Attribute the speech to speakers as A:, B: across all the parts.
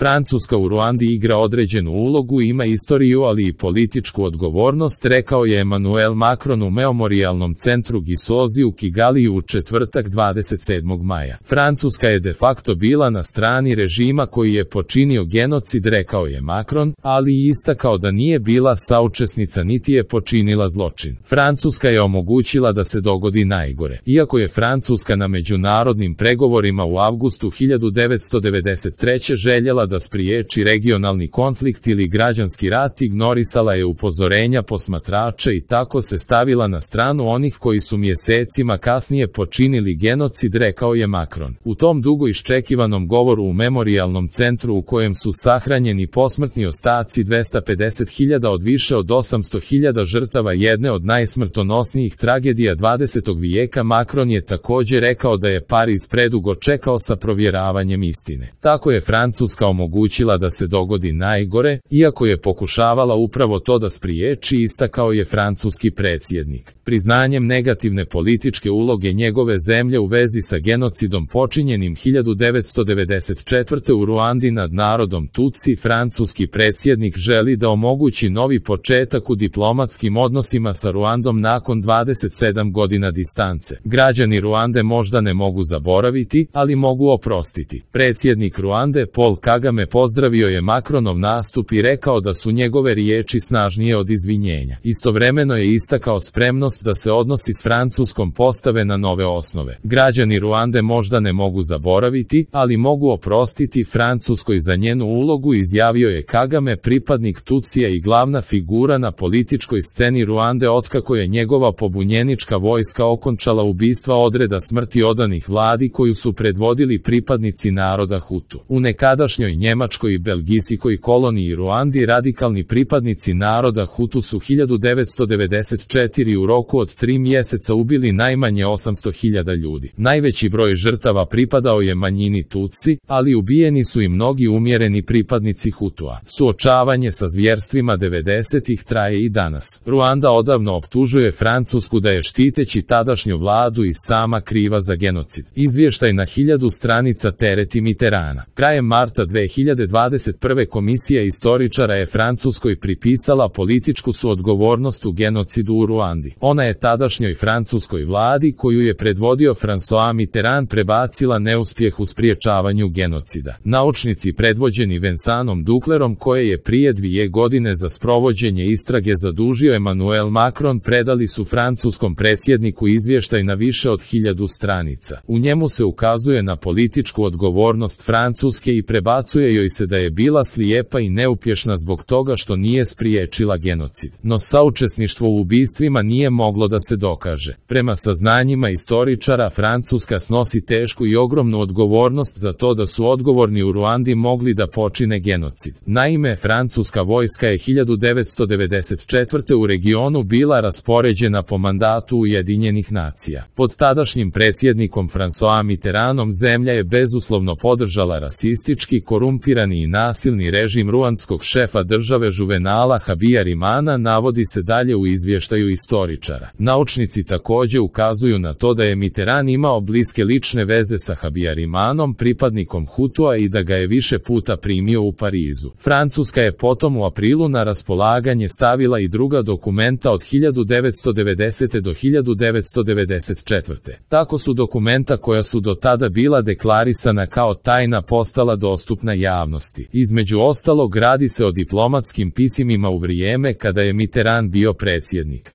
A: Francuska u Ruandi igra određenu ulogu i ima istoriju, ali i političku odgovornost, rekao je Emmanuel Macron u Memorijalnom centru Gisozi u Kigaliju u četvrtak 27. maja. Francuska je de facto bila na strani režima koji je počinio genocid, rekao je Macron, ali i istakao da nije bila saučesnica niti je počinila zločin. Francuska je omogućila da se dogodi najgore. Iako je Francuska na međunarodnim pregovorima u avgustu 1993. željela da spriječi regionalni konflikt ili građanski rat, ignorisala je upozorenja posmatrača i tako se stavila na stranu onih koji su mjesecima kasnije počinili genocid, rekao je Macron. U tom dugo iščekivanom govoru u Memorijalnom centru u kojem su sahranjeni posmrtni ostaci 250.000 od više od 800.000 žrtava jedne od najsmrtonosnijih tragedija 20. vijeka, Macron je također rekao da je Pariz predugo čekao sa provjeravanjem istine. Tako je Francuska omogućila da se dogodi najgore, iako je pokušavala upravo to da spriječi, istakao je francuski predsjednik. Priznanjem negativne političke uloge njegove zemlje u vezi sa genocidom počinjenim 1994. u Ruandi nad narodom Tutsi, francuski predsjednik želi da omogući novi početak u diplomatskim odnosima sa Ruandom nakon 27 godina distance. Građani Ruande možda ne mogu zaboraviti, ali mogu oprostiti. Predsjednik Ruande Paul Kagame pozdravio je Macronov nastup i rekao da su njegove riječi snažnije od izvinjenja. Istovremeno je istakao spremnost da se odnosi s Francuskom postave na nove osnove. Građani Ruande možda ne mogu zaboraviti, ali mogu oprostiti Francuskoj za njenu ulogu, izjavio je Kagame, pripadnik Tutsija i glavna figura na političkoj sceni Ruande otkako je njegova pobunjenička vojska okončala ubistva odreda smrti odanih vladi koju su predvodili pripadnici naroda Hutu. U nekadašnjoj Njemačkoj i belgijskoj koloniji Ruandi radikalni pripadnici naroda Hutu su 1994. u roku od 3 mjeseca ubili najmanje 800.000 ljudi. Najveći broj žrtava pripadao je manjini Tutsi, ali ubijeni su i mnogi umjereni pripadnici Hutua. Suočavanje sa zvjerstvima 90-ih traje i danas. Ruanda odavno optužuje Francusku da je štiteći tadašnju vladu i sama kriva za genocid. Izvještaj na 1000 stranica tereti Mitterranda. Krajem marta 2021. komisija istoričara je Francuskoj pripisala političku suodgovornost u genocidu u Ruandi. Ona je tadašnjoj francuskoj vladi, koju je predvodio François Mitterrand, prebacila neuspjeh u spriječavanju genocida. Naučnici predvođeni Vincentom Duclerom, koje je prije 2 godine za sprovođenje istrage zadužio Emmanuel Macron, predali su francuskom predsjedniku izvještaj na više od 1000 stranica. U njemu se ukazuje na političku odgovornost Francuske i prebacuje joj se da je bila slijepa i neuspješna zbog toga što nije spriječila genocid. No saučesništvo u ubistvima nije moglo da se dokaže. Prema saznanjima istoričara, Francuska snosi tešku i ogromnu odgovornost za to da su odgovorni u Ruandi mogli da počine genocid. Naime, francuska vojska je 1994. u regionu bila raspoređena po mandatu Ujedinjenih nacija. Pod tadašnjim predsjednikom François Mitterrandom zemlja je bezuslovno podržala rasistički, korumpirani i nasilni režim ruandskog šefa države Juvenala Habyarimana, navodi se dalje u izvještaju istoričara. Naučnici također ukazuju na to da je Mitterrand imao bliske lične veze sa Habyarimanom, pripadnikom Hutua, i da ga je više puta primio u Parizu. Francuska je potom u aprilu na raspolaganje stavila i druga dokumenta od 1990. do 1994. Tako su dokumenta koja su do tada bila deklarisana kao tajna postala dostupna javnosti. Između ostalog, radi se o diplomatskim pisimima u vrijeme kada je Mitterrand bio predsjednik.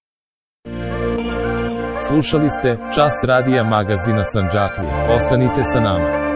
A: Slušali ste Čas radija magazina Sandžaklija. Ostanite sa nama.